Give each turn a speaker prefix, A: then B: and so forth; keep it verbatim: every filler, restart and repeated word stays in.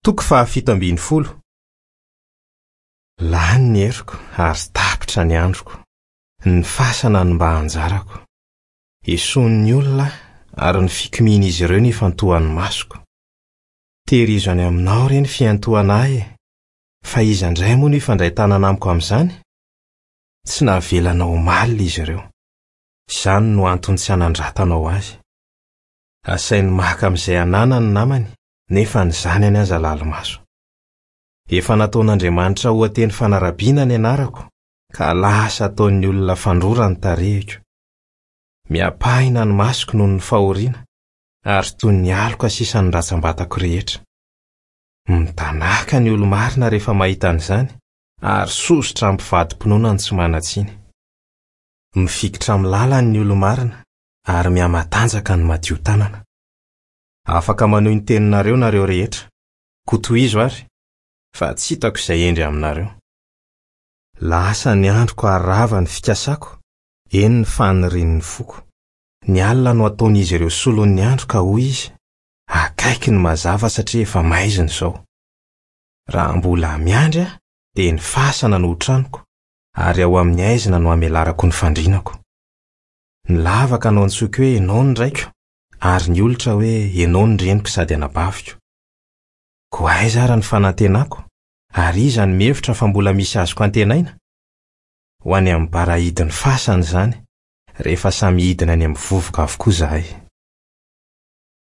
A: Toko fahafito ambin'ny folo. Lany ny heriko ary tapitra ny androko. Ny fasana no mba anjarako. Esoin'ny olona aho ary ny fikomian'izy ireo no ifantohan'ny masoko. Tehirizo any aminao re ny fiantohana ahy e! Fa iza indray moa no hifandray tanana amiko amin'izany? Tsy navelanao omaly izy ireo. Izany no antony tsy hanandratanao azy. Asainy maka amin'izay ananany ny namany, nefa ny zanany aza lali-maso. Efa nataon'Andriamanitra oha-teny fanarabiana ny anarako, ka lasa ataon'ny olona fandrora ny tarehiko. Miapahina ny masoko noho ny fahoriana, ary toy ny aloka sisa ny ratsambatako rehetra. Mitanaka ny olo-marina rehefa mahita an'izany, ary sosotra mpivadi-pinoana ny tsy manan-tsiny. Mifikitra amin'ny lalany ny olo-marina, ary mihamatanjaka ny madio tanana. Afaka manohy ny teninareo nareo rehetra, koa tohizo ary, fa tsy hitako izay hendry aminareo. Lasa ny androko ary rava ny fikasako, eny ny fanirian'ny foko. Ny alina no ataon'izy ireo solon'ny andro ka hoy izy, akaiky ny mazava satria efa maizina izao. Raha mbola miandry aho, dia ny fasana no ho tranoko, ary ao amin'ny haizina no hamelarako ny fandrinako. Ny lavaka no antsoiko hoe ianao ny raiko, ary ny olitra hoe ianao ny reniko sady anabaviko. Koa aiza ary ny fanantenako, ary iza no mihevitra fa mbola misy azoko antenaina? Ho any amin'ny bara hidin'ny fasana izany, rehefa samy hidina any amin'ny vovoka avokoa izahay.